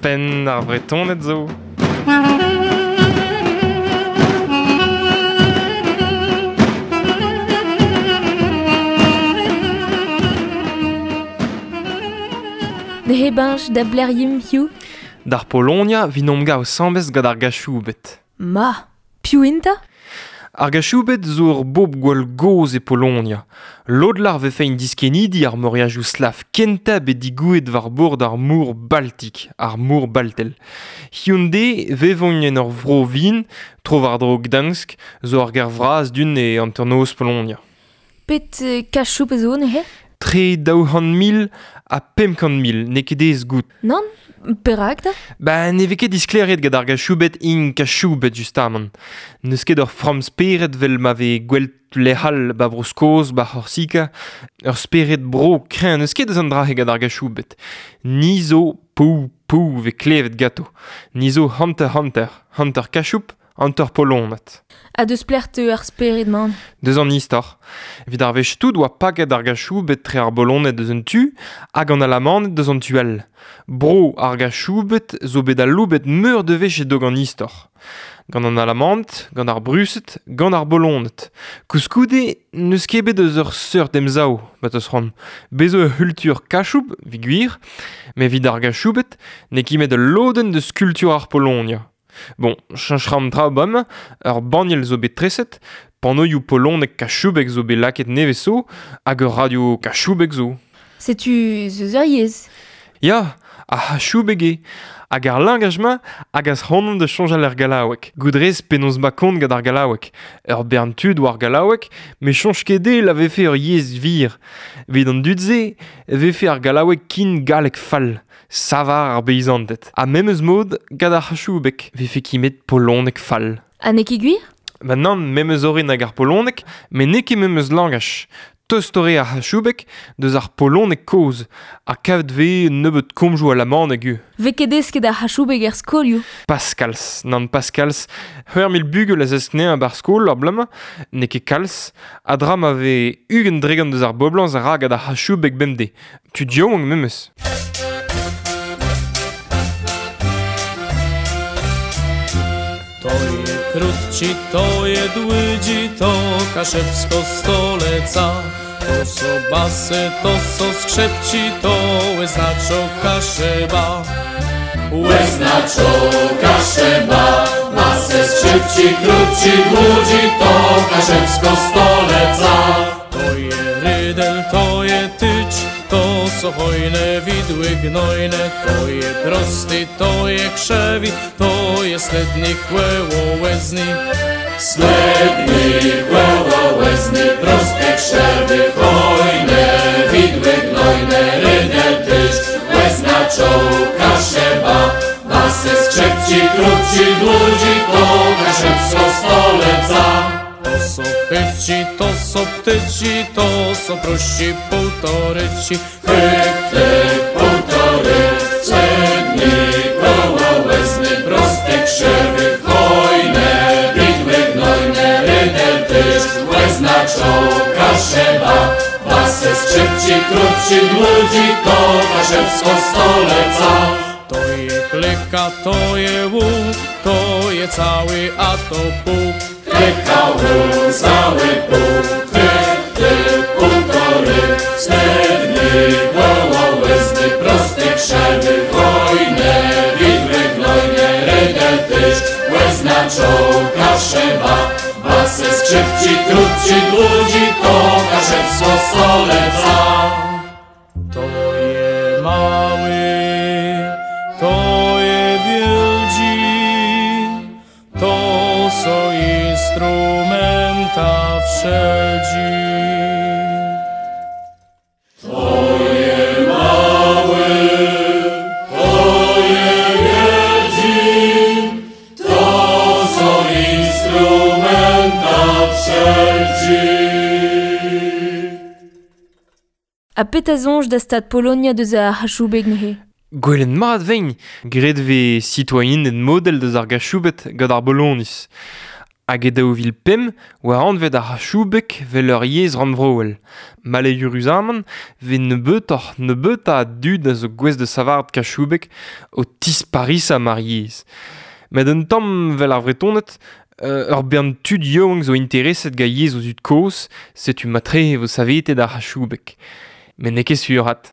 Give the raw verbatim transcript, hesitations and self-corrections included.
Penn ar Vretoned zo. Neuze bench da bleryim hiu? D'ar Polonia vinomp gav sambez gant ar gachoubet. Ma, piv inta? Ar gachoubet zo ur bob gwall goz e Polonia. Lodlar vefe in diskenidi ar moriajoù slav kenta bet digouet war bord ar mor Baltik, ar mor Baltel. Hyundai vevogn en ur vro vin, tro war dro Gdansk, zo ar ger vraz dun e anternoz Polonia. Pet kachoub zo neuze? Tre daou c'hant mil ha pemp kant mil, n'eo ket aes goût. Nann, perak da? Ba ne vez ket disklêriet gant ar gachoubet int kachoubet justamant. N'eus ket ur framm spered vel ma vez gwell lec'hall ba Bro-Skos, ba C'horsika, ur spered bro kreñv n'eus ket eus an dra-se gant ar gachoubet. Ni zo pou pou vez klevet gato. Ni zo hanter-hanter, hanter kachoub, hanter polonat. Ha deus plec'h teu ar spered man? Deus an istor. Evit ar wech tout oa paket ar gachoubet tre ar boloned deus un tu hag an alamaned deus an tu all. Bro ar gachoubet zo bet aloubet meur de wech e-doug an istor. Gant an alamant, gant ar bruset, gant ar boloned. Koulskoude, n'eus ket bet eus ur seurt emsav, bat eus c'hoant. Bez zo ur c'hultur kachoub, evit gwir, met evit ar gachoubet, n'eo ket met ul lodenn deus kultur ar Polonia. Bon, cheñch an tra bam, ur banniel zo bet treset, panoioù polonek kachoubek zo bet lakaet nevez zo, hag ur radio kachoubek zo. Setu zeus ur yezh. Ya, ar c'hachoubeg eo. Hag ar langaj-ma hag az c'hoant da soñjal er gallaoueg. Goudrez penaos ma kont gant ar gallaoueg. Ur bern tud war gallaoueg, met soñj ket dezhe la vefe ur yezh vir. Evit an dud-se, vefe ar gallaoueg kin galleg fall. Savar ar beizanted. Ha memes mod gant ar c'hachoubeg, vefe kimet poloneg fall. Ha n'eo ket gwir? Ba nann, memes orin hag ar poloneg, met n'eo ket memes langaj. Tost eo ar c'hachoubeg deus ar poloneg kozh, ha kavet vez nebeut komzoù alamaneg eo. Vez ket desket ar c'hachoubeg er skolioù? Pas kalz, nann pas kalz. C'hwec'h mil bugel a zesk anezhañ ba'r skol ar bloaz-mañ, n'eo ket kalz, a dra ma vez ugent dregont deus ar boblañs a ra gant ar c'hachoubeg bemdez. Tud yaouank memes. To je krótci, to je dłudzi, to kaszebsko stoleca. To so basy, to so skrzypci, to łyznaczo kaszeba. Łyznaczo kaszeba, basy, skrzypci, krótci, dłudzi, to kaszebsko stoleca. To je rydel, to je tycz, to so hojne widły gnojne, to je prosty, to je krzewi, to je sledny kłełołezny. Sledny kłełołezny, prosty krzewy, hojne widły gnojne, rydel tycz, łezna czołka szeba, basy skrzypci, krótci, dłudzi, to kaszebsko stoleca. To so chyci, to so ptyci, to so prości półtoryci. Chybty półtory, sledny kołołezny, prosty krzewy, hojne, widły gnojne, rydel tyż, łezna czołka szeba, basy skrzypci, krótci, dłudzi, to kaszebsko stoleca. To je klika, to je łuk, to je cały, a to pół. Klika, łuk, cały pół, chybty, półtory, sledny, gołołezny, prosty krzewy, hojne, widły gnojne, rydel tyż, łezna czołka szeba, basy skrzypci, krótci, dłudzi, to kaszebsko stoleca. To je mały, to je wielki, to so instrumenta wszelki. To je mały, to je wielki, to so instrumenta wszelki. Ha pet a soñj da stad Polonia deus ar c'hachoubeg neuze? Gwellen mat vein, graet vez citoyened model deus ar gachoubet gant ar Bolonis. Hag e daou vil pemp oa anvet ar c'hachoubeg vel ur yezh rannvroel. Maleüruzamant vez nebeutoc'h nebeutañ a dud a zo gouest da savaret kachoubeg o tisparisañ ar yezh. Met un tamm vel ar Vretoned, euh, ur bern tud yaouank zo intereset gant yezh o zud kozh, setu matre e vo savetet ar c'hachoubeg. Met n'eo ket sur 'vat.